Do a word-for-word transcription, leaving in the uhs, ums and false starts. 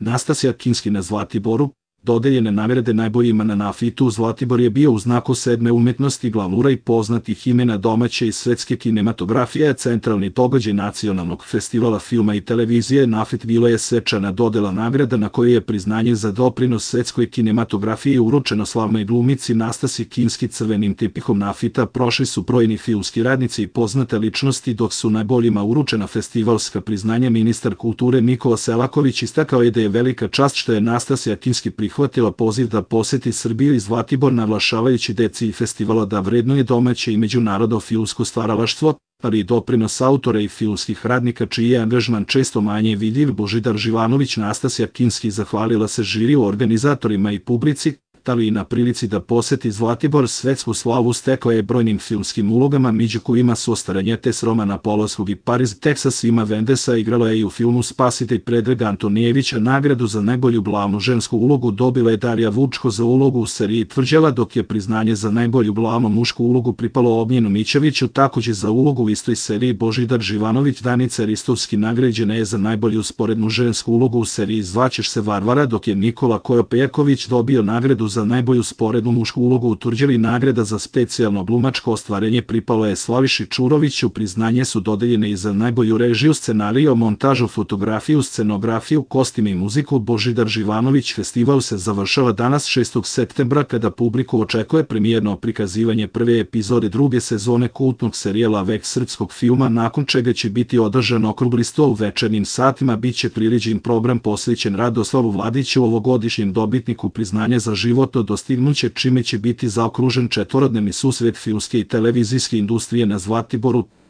Nastasja Kinski na Zlatiboru, dodeljene nagrade najboljima na Nafitu. Zlatibor je bio u znaku sedme umetnosti glavura i poznatih imena domaće i svetske kinematografije, centralni događaj nacionalnog festivala filma i televizije. Nafit bila je svečana dodela nagrada na kojoj je priznanje za doprinos svetskoj kinematografiji uručeno slavnoj glumici Nastasji Kinski. Crvenim tepihom Nafita prošli su brojni filmski radnici i poznate ličnosti, dok su najboljima uručena festivalska priznanja. Ministar kulture Nikola Selaković istakao je da je velika čast što je Nastasja Kinski prihvatila poziv da poseti Srbiju i Zlatibor, naglašavajući deci festivala da vrednuje domaće i međunarodno filmsko stvaralaštvo, ali i doprinos autora i filmskih radnika čiji je angažman često manje vidljiv. Božidar Živanović. Nastasja Kinski zahvalila se žiriju, organizatorima i publici, ali i na prilici da poseti Zlatibor. Svetsku slavu stekla je brojnim filmskim ulogama, među kojima su Ostaranjetes Romana Polanskog i Pariz, Teksas Vima Vendesa. Igrala je i u filmu Spasitelj Predraga Antonijevića. Nagradu za najbolju glavnu žensku ulogu dobila je Darija Vučko za ulogu u seriji Tvrđava, dok je priznanje za najbolju glavnu mušku ulogu pripalo Ognjenu Mićeviću. Takođe za ulogu u istoj seriji Božidar Živanović. Danica Ristovski nagrađena je za najbolju sporednu žensku ulogu u seriji Zvaćeš se Varvara, dok je Nikola Kojopejaković dobio nagradu za najbolju sporednu mušku ulogu u Tvrđavi. Nagrada za specijalno glumačko ostvarenje pripalo je Slaviši Čuroviću. Priznanje su dodeljene i za najbolju režiju, scenariju, montažu, fotografiju, scenografiju, kostim i muziku. Božidar Živanović. Festival se završava danas šestog septembra kada publiku očekuje premijerno prikazivanje prve epizode druge sezone kultnog serijala Vek srpskog filma, nakon čega će biti održan okrugli sto. U večernjim satima biće priređen program posvećen Radoslavu Vladiću, ovogodišnjem dobitniku priznanja za životno dostignuće, čime će biti zaokružen četvorodnevni susret filmske i televizijske industrije na Zlatiboru.